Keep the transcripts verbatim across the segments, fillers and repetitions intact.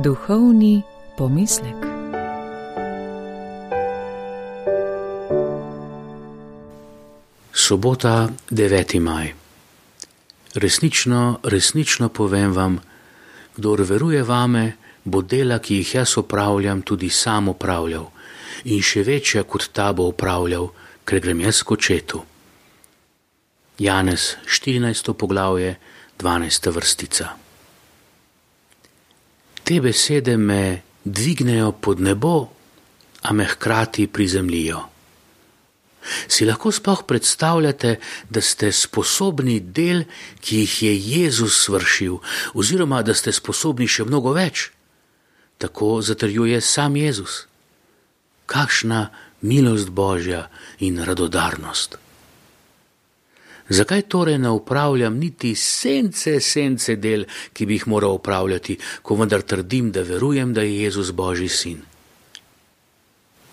Duhovni pomislek. Sobota, deveti maj. Resnično, resnično povem vam, kdor veruje vame, bo dela, ki jih jaz opravljam, tudi sam opravljal in še večja kot ta bo opravljal, ker grem jaz k Očetu. Janez, štirinajsto poglavje, dvanajsta vrstica. Te besede me dvignejo pod nebo, a me hkrati prizemljijo. Si lahko sploh predstavljate, da ste sposobni del, ki jih je Jezus svršil, oziroma da ste sposobni še mnogo več? Tako zatrjuje sam Jezus. Kakšna milost Božja in radodarnost. Zakaj torej ne upravljam niti sence, sence del, ki bi jih moral upravljati, ko vendar trdim, da verujem, da je Jezus Božji sin?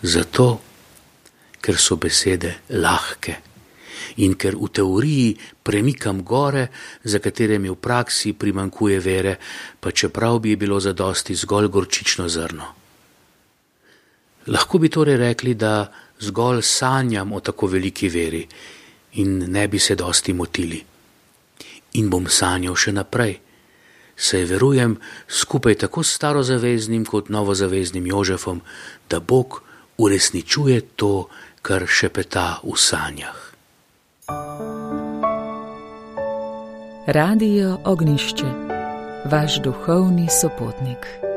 Zato, ker so besede lahke in ker v teoriji premikam gore, za katere mi v praksi primanjkuje vere, pa čeprav bi bilo zadosti zgolj gorčično zrno. Lahko bi torej rekli, da zgolj sanjam o tako veliki veri in ne bi se dosti motili. In bom sanjal še naprej, saj verujem skupaj tako s starozaveznim kot novozaveznim Jožefom, da Bog uresničuje to, kar šepeta v sanjah. Radio Ognjišče, vaš duhovni sopotnik.